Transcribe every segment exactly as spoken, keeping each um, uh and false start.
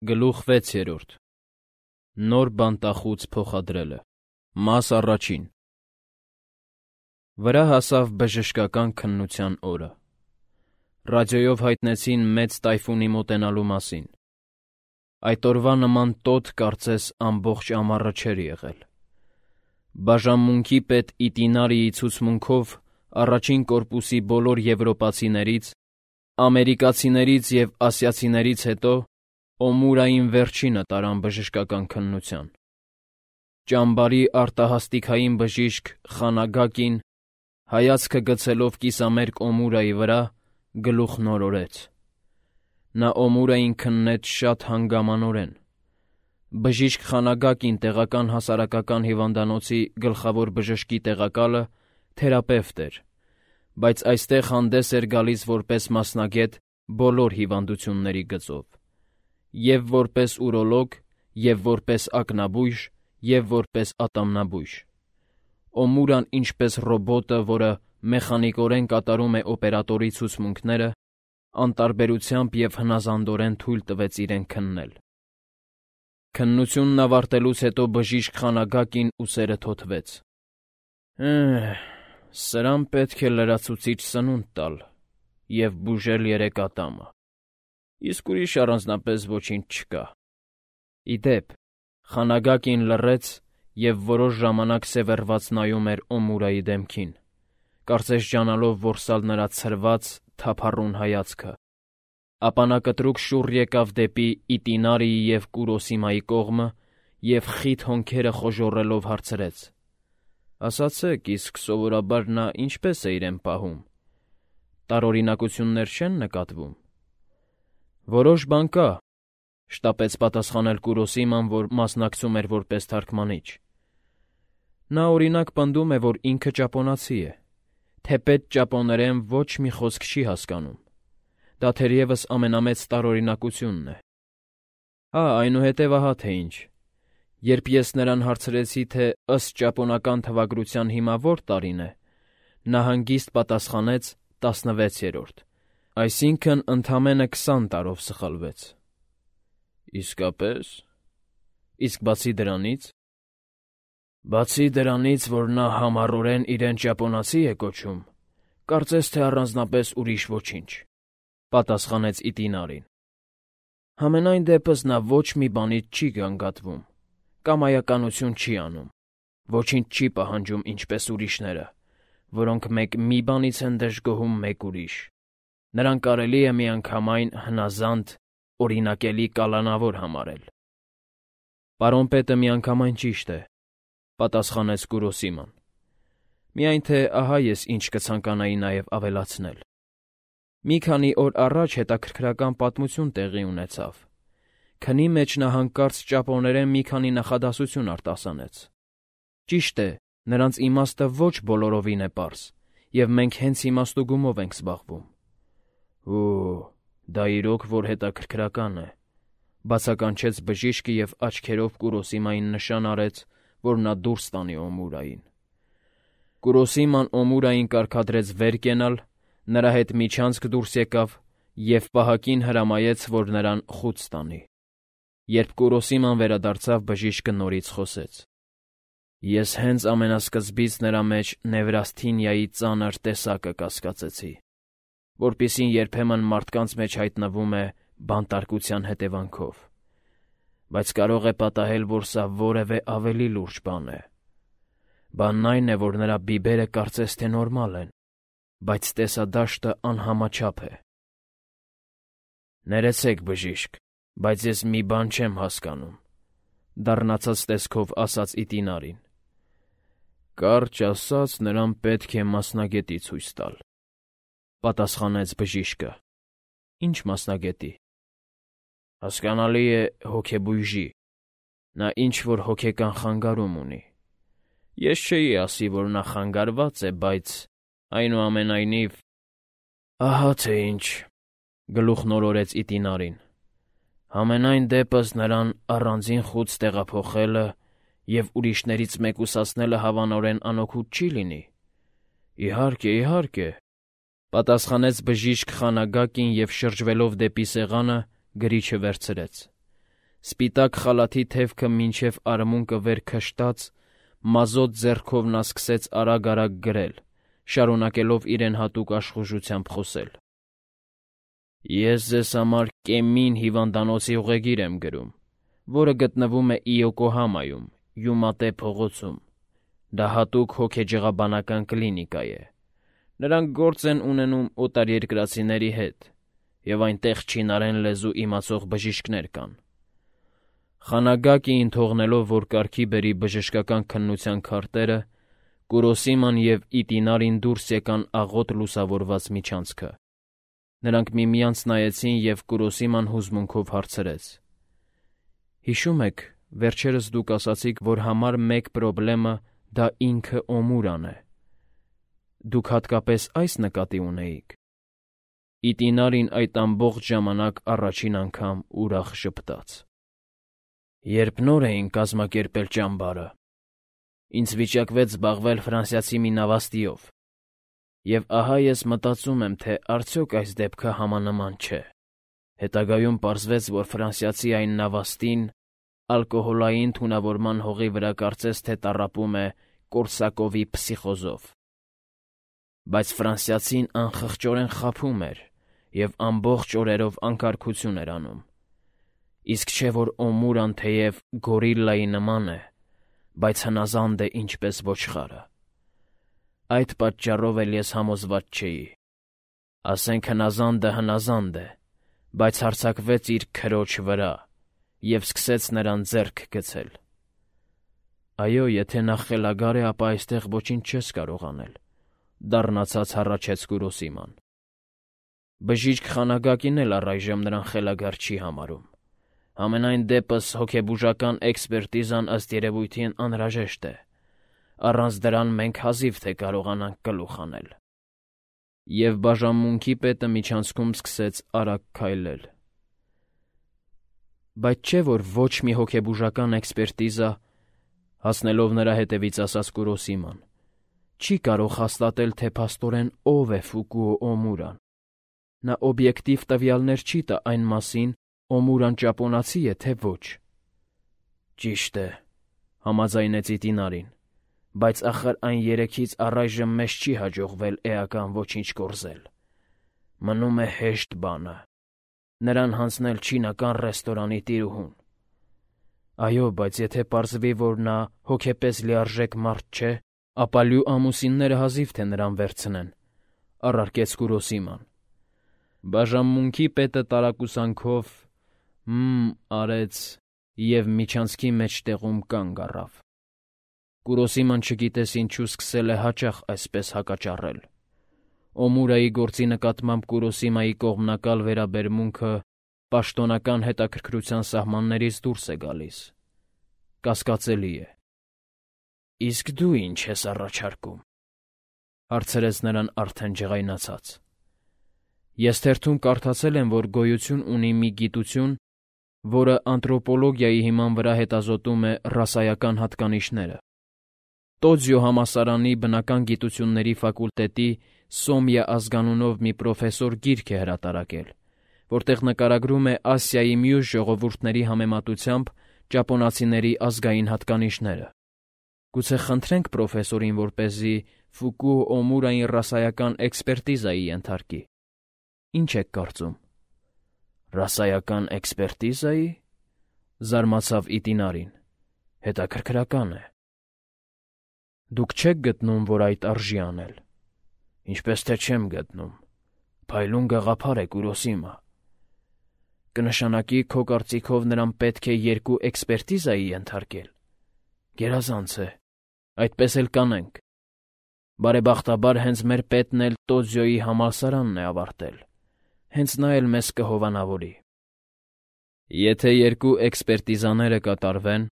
Գլուխ վեցերորդ Նոր բանտախուց փոխադրելը Մաս առաջին Վրա հասավ բժշկական քննության օրը։ Ռադիոյով հայտնեցին մեծ տայֆունի մոտենալու մասին։ Այդ օրվա նման տոտ կարծես ամբողջ ամառը չէր եղել։ Բաժանմունքի պետ Իտինարիի ցուցմունքով առաջին կորպուսի բոլոր եվրոպացիներից, ամերիկացիներից և ասիացիներից հետո Օմուրային վերջինը տարան բժշկական քննության։ Ճամբարի արտահասթիկային բժիշկ Խանագակին, հայացքը գցելով կիսամերկ Օմուրայի վրա, գլուխն օրորեց։ Նա Օմուրային քննեց շատ հանգամանորեն։ Բժիշկ Խանագակին տեղական հասարակական հիվանդանոցի գլխավոր բժշկի տեղակալը թերապևտ էր, բայց այստեղ հանդես էր գալիս որպես մասնագետ բոլոր հիվանդությունների գծով, և որպես ուրոլոգ, և որպես ակնաբույժ, և որպես ատամնաբույժ։ Օմուրան ինչպես ռոբոտը, որը մեխանիկորեն կատարում է օպերատորի ցուցմունքները, անտարբերությամբ և հնազանդորեն թույլ տվեց իրեն քննել։ Քննությունն ավարտելուց հետո բժիշկ Խանագակին ուսերը թոթվեց։ «Էհ, սրան պետք է լրացուցիչ սնունդ տալ և բուժել երեք ատամը, իսկ ուրիշ առանձնապես ոչինչ չկա»։ Ի դեպ, Խանագակին լռեց և որոշ ժամանակ սևեռված նայում էր Օմուրայի դեմքին, կարծես ջանալով որսալ նրա ցրված, թափառուն հայացքը, ապա նա կտրուկ շուռ եկավ դեպի Իտինարիի և Կուրոսիմայի կողմը և խիտ հոնքերը խոժոռելով հարցրեց. «Ասացեք, իսկ սովորաբար նա ինչպե՞ս է իրեն պահում. տարօրինակություններ չե՞ն նկատվում»։ «Որոշ բան կա», շտապեց պատասխանել Կուրոսիման, որ մասնակցում էր որպես թարգմանիչ։ «Նա, օրինակ, պնդում է, որ ինքը ճապոնացի է, թեպետ ճապոներեն ոչ մի խոսք չի հասկանում։ Դա թերևս ամենամեծ տարօրինակությունն է։ Հա, այնուհետև ահա թե ինչ. երբ ես նրան հարցրեցի, թե ըստ ճապոնական թվագրության հիմա որ տարին է, նա հանգիստ պատասխանեց տասնվեցերորդ, այսինքն՝ ընդամենը քսան տարով սխալվեց»։ «Իսկապե՞ս։ Իսկ բացի դրանից»։ «Բացի դրանից, որ նա համառորեն իրեն ճապոնացի է կոչում, կարծես թե առանձնապես ուրիշ ոչինչ», պատասխանեց Իտինարին։ «Համենայն դեպս նա ոչ մի բանից չի գանգատվում, կամայականություն չի անում, ոչինչ չի պահանջում ինչպես ուրիշները, որոնք մեկ մի բանից են դժգոհում, մեկ ուրիշ։ Նրան կարելի է միանգամայն հնազանդ, օրինակելի կալանավոր համարել»։ «Պարոն պետը միանգամայն ճիշտ է», պատասխանեց Կուրոսիման։ «Միայն թե ահա ես ինչ կցանկանայի նաև ավելացնել. մի քանի օր առաջ հետաքրքրական պատմություն տեղի ունեցավ։ Քնի մեջ նա հանկարծ ճապոներեն մի քանի նախադասություն արտասանեց։ Ճիշտ է, նրանց իմաստը ոչ բոլորովին է պարզ, և մենք հենց իմաստուգումով ենք զբաղվում»։ «Օ՜, դա իրոք որ հետաքրքրական է», բացականչեց բժիշկը և աչքերով Կուրոսիմային նշան արեց, որ նա դուրս տանի Օմուրային։ Կուրոսիման Օմուրային կարգադրեց վեր կենալ, նրա հետ միջանցք դուրս եկավ և պահակին հրամայեց, որ նրան խուց տանի։ Երբ Կուրոսիման վերադարձավ, բժիշկը նորից խոսեց. «Ես հենց ամենասկզբից նրա մեջ նևրասթինիայի ծանր տեսակը կասկածեցի, որպիսին երբեմն մարդկանց մեջ հայտնվում է բանտարկության հետևանքով, բայց կարող է պատահել, որ սա որևէ ավելի լուրջ բան է։ Բանն այն է, որ նրա բիբերը կարծես թե նորմալ են, բայց տեսադաշտը անհամաչափ է»։ «Ներեցեք, բժիշկ, բայց ես մի բան չեմ հասկանում», դառնացած տեսքով ասաց Իտինարին։ «Կարճ ասած, նրան պետք է մասնագետի ցույց տալ», պատասխանեց բժիշկը։ «Ի՞նչ մասնագետի»։ «Հասկանալի է, հոգեբույժի։ Նա ինչ֊որ հոգեկան խանգարում ունի։ Ես չէի ասի, որ նա խանգարված է, բայց, այնուամենայնիվ»։ «Ահա թե ինչ», գլուխն օրորեց Իտինարին։ «Համենայն դեպս նրան առանձին խուց տեղափոխելը և ուրիշներից մեկուսացնելը հավանորեն անօգուտ չի լինի»։ «Իհարկե, իհարկե», պատասխանեց բժիշկ Խանագակին և շրջվելով դեպի սեղանը, գրիչը վերցրեց։ Սպիտակ խալաթի թևքը մինչև արմունկը վեր քշտած, մազոտ ձեռքով նա սկսեց արագ-արագ գրել, շարունակելով իրեն հատուկ աշխուժությամբ խոսել. «Ես ձեզ համար Կեմին հիվանդանոցի ուղեգիր եմ գրում, որը գտնվում է Իոկոհամայում, Յումատե փողոցում։ Դա հատուկ հոգեջղաբանական կլինիկա է։ Նրանք գործ են ունենում օտարերկրացիների հետ, և այնտեղ չինարեն լեզու իմացող բժիշկներ կան։ Խանագակիին թողնելով, որ կարգի բերի բժշկական քննության քարտերը, Կուրոսիման և Իտինարին դուրս եկան աղոտ լուսավորված միջանցքը։ Նրանք միմյանց նայեցին, և Կուրոսիման հուզմունքով հարցրեց. «Հիշում եք, վերջերս դուք ասացիք, որ համար մեկ պրոբլեմը դա ինքը Օմուրան է։ Դուք հատկապես այս նկատի ունեիք»։ Իտինարին այդ ամբողջ ժամանակ առաջին անգամ ուրախ ժպտաց։ «Երբ նոր էին կազմակերպել ճամբարը, ինձ վիճակվեց զբաղվել ֆրանսիացի մի նավաստիով, և ահա ես մտածում եմ, թե արդյոք այս դեպքը համանման չէ։ Հետագայում պարզվեց, որ ֆրանսիացի այն նավաստին ալկոհոլային թունավորման հողի վրա կարծես թե տառապում է Կորսակովի փսիխոզով։ Բայց ֆրանսիացին անխղճորեն խաբում էր և ամբողջ օրերով անկարգություն էր անում։ Իսկ չէ որ Օմուրան թեև գորիլլայի նման է, բայց հնազանդ է ինչպես ոչխարը։ Այդ պատճառով էլ ես համոզված չէի։ Ասենք հնազանդը հնազանդ է, բայց հարձակվեց իր քրոջ վրա և սկսեց նրան ձեռք գցել։ Այո, եթե նա խելագար է, ապա այստեղ ոչինչ չես կարող անել, դառնացած հառաչեց Կուրոսիման։ Բժիշկ Խանագակին էլ առայժմ նրան խելագար չի համարում։ Համենայն դեպս հոգեբուժական էքսպերտիզան ըստ երևույթին անհրաժեշտ է։ Առանց դրան մենք հազիվ թե կարողանանք գլուխ անել։ Եվ բաժանմունքի պետը միջանցքում սկսեց արագ քայլել։ Բայց չէ՞ որ ոչ մի հոգեբուժական էքսպերտիզա, հասնելով նրա հետևից ասաց Կուրոսիման, չի կարող հաստատել, թե փաստորեն ով է Ֆուկուո Օմուրան։ Նա օբյեկտիվ տվյալներ չի տա այն մասին, Օմուրան ճապոնացի է, թե ոչ։ Ճիշտ է, համաձայնեց Իտինարին, բայց ախր այն երեքից առայժմ մեզ չի հաջողվել էական ոչինչ կորզել։ Մնում է հեշտ բանը՝ նրան հանձնել չինական ռեստորանի տիրուհուն։ Այո, բայց եթե պարզվի, որ նա հոգեպես լիարժեք մարդ չէ, ապա լյու ամուսինները հազիվ թե նրան վերցնեն, առարկեց Կուրոսիման։ Բաժանմունքի պետը տարակուսանքով «հմ» արեց և միջանցքի մեջտեղում կանգ առավ։ Կուրոսիման չգիտես ինչու սկսել է հաճախ այսպես հակաճառել։ Օմուրայի գործի նկատմամբ Կուրոսիմայի կողմնակալ վերաբերմունքը պաշտոնական հետաքրքրության սահմաններից դուրս է գալիս։ Կասկածելի է։ Իսկ դու ի՞նչ ես առաջարկում, հարցրեց նրան արդեն ջղայնացած։ Ես թերթում կարդացել եմ, որ գոյություն ունի մի գիտություն, որը անթրոպոլոգիայի հիման վրա հետազոտում է ռասայական հատկանիշները։ Տոձյո համալսարանի բնական գիտությունների ֆակուլտետի Սոմյա ազգանունով մի պրոֆեսոր գիրք է հրատարակել, որտեղ նկարագրում է Ասիայի մյուս ժողովուրդների համեմատությամբ ճապոնացիների ազգային հատկանիշները։ Գուցե խնդրենք պրոֆեսորին, որպեսզի Ֆուկուո Օմուրային ռասայական էքսպերտիզայի ենթարկի։ Ինչ եք կարծում։ Ռասայական էքսպերտիզայի՞, զարմացավ Իտինարին։ Հետաքրքրական է։ Դուք չեք գտնում, որ այդ արժի անել։ Ինչպես թե չեմ գտնում։ Փայլուն գաղափար է, Կուրոսիմա։ Կնշանակի, քո կարծիքով նրան պետք է երկու էքսպերտիզայի ենթարկել։ Գերազանց է։ Այդպես էլ կանենք։ Բարեբախտաբար հենց մեր պետն էլ Տոձյոյի համալսարանն է ավարտել։ Հենց նա էլ մեզ կհովանավորի։ Եթե երկու էքսպերտիզաները կատարվեն,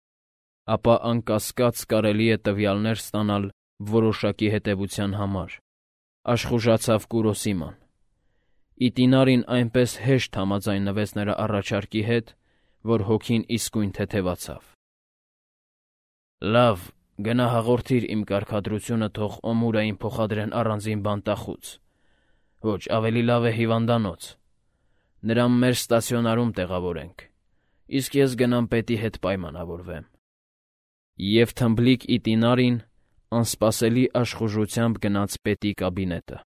ապա անկասկած կարելի է տվյալներ ստանալ որոշակի հետևության համար, աշխուժացավ Կուրոսիման։ Իտինարին այնպես հեշտ համաձայնվեց նրա առաջարկի հետ, որ հոգին իսկույն թեթևացավ։ Լավ, գնա հաղորդիր իմ կարգադրությունը թող Օմուրային փոխադրեն առանձին բանտախուց։ Ոչ, ավելի լավ է հիվանդանոց։ Նրան մեր ստացիոնարում տեղավորենք։ իսկ ես գնամ պետի հետ պայմանավորվեմ։ Եվ թմբլիկ Իտինարին անսպասելի աշխուժությամբ գնաց պետի կաբինետը։